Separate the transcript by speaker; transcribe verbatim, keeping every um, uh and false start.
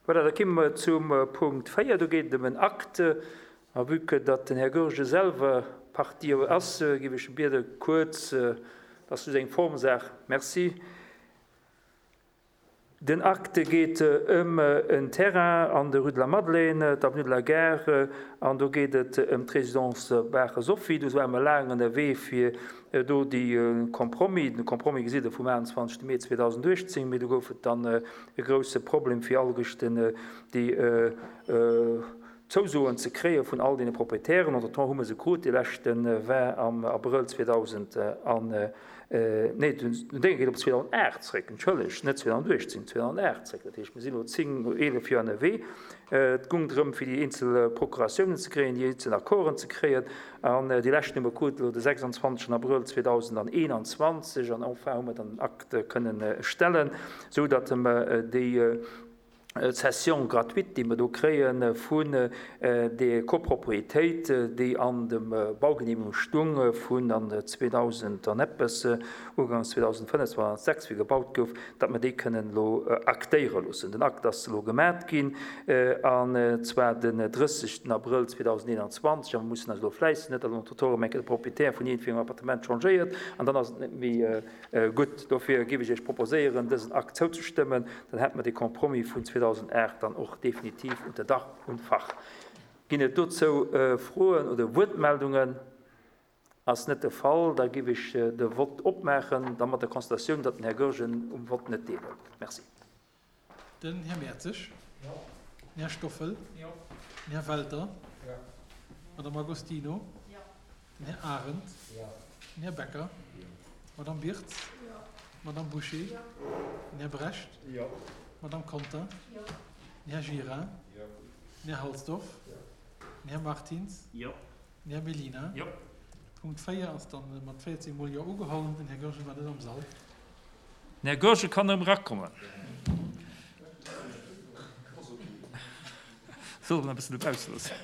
Speaker 1: Voilà, da komme mer zum Punkt véier. Do geet et ëm en Acte. A vue que datt den Här Goergen selwer Partie ass, géif ech e biede kuerz, dat ass just eng Formsaach, merci. Den Acte geet ëm en Terrain an der Rue de la Madeleine, d'Avenue de la Gare, an do geet et ëm d'Résidence Bache Sophie. Do ware mer laang ënnerwee fir do déi Compromis, den Compromis gesitt Der vum aachtundzwanzegste Mee zweedausenduechtzéng, mee do gouf et dann e grouse Problem fir alleguerten déi Zousoen ze kréie vun all deene Proprietären. Entretemps hu mer se krut, dee leschte war am Abrëll zweedausend an, nee, den Dénge geet op zweedausendacht zréck, entschëllegt, net zweedausenduechtzéng, zweedausendacht zréck. Dat heescht, mir sinn elo zéng, eelef Joer ënnerwee. Et gung drëm, fir déi eenzel Procuratiounen ze kréien, déi eenzel Accorden ze kréien. An déi leschten hu mer krut elo de sechsundzwanzegsten Abrëll zweedausendeenanzwanzeg. An enfin hu mer dann den Akt kënnen stellen, esou datt mer déi Cession gratuite, déi mer do kréie vun der Copropriétéit, déi an dem Baugenehmigung stung vun an zweedausend an eppes, ugangs zweedausendfënnef, zweedausendsechs, wéi gebaut gouf, datt mer déi kënnen elo aktéiere loossen. Den Akt ass elo gemat ginn, an zwar den drëssegsten Abrëll zweedausendeenanzwanzeg, a mer mussen eis elo fläissen, net datt entretemps erëm eng Kéier de Propriétaire vun iergendwéi engem Appartement changéiert an dann ass et net méi gutt. Dofir géif ech Iech proposéieren, dësen Akt zouzestëmmen. Dann hätte mer dee Compromis vun zweedausendacht dann och definitiv unter Dach und Fach. Ginn et dozou Froen oder Wuertmeldungen? Ass net de Fall. Da géif ech de Vott opmaachen, da mat der Constatioun, datt den Här Goergen um Vott net deelhëlt. Merci.
Speaker 2: Den Här Mertzig. Jo. Den Här Stoffel. Jo. Den Här Welter. Jo. D'Madame Agostino. Jo. Den Här Arendt. Jo. Den Här Becker. Jo. D'Madame Birtz. Jo. D'Madame Bouché. Jo. Den Här Brecht. Jo. D'Madame Conter. Jo. Den Här Gira. Jo. Den Här Halsdorf. Jo. Den Här Martins. Jo. Den Här Mellina. Jo. Punkt véier ass dann mat véierzéng mol Jo ugeholl. Den Här Goergen war net am Sall.
Speaker 1: Den Här Goergen kann erëm erakommen. Soll en e bëssen dobausse loossen.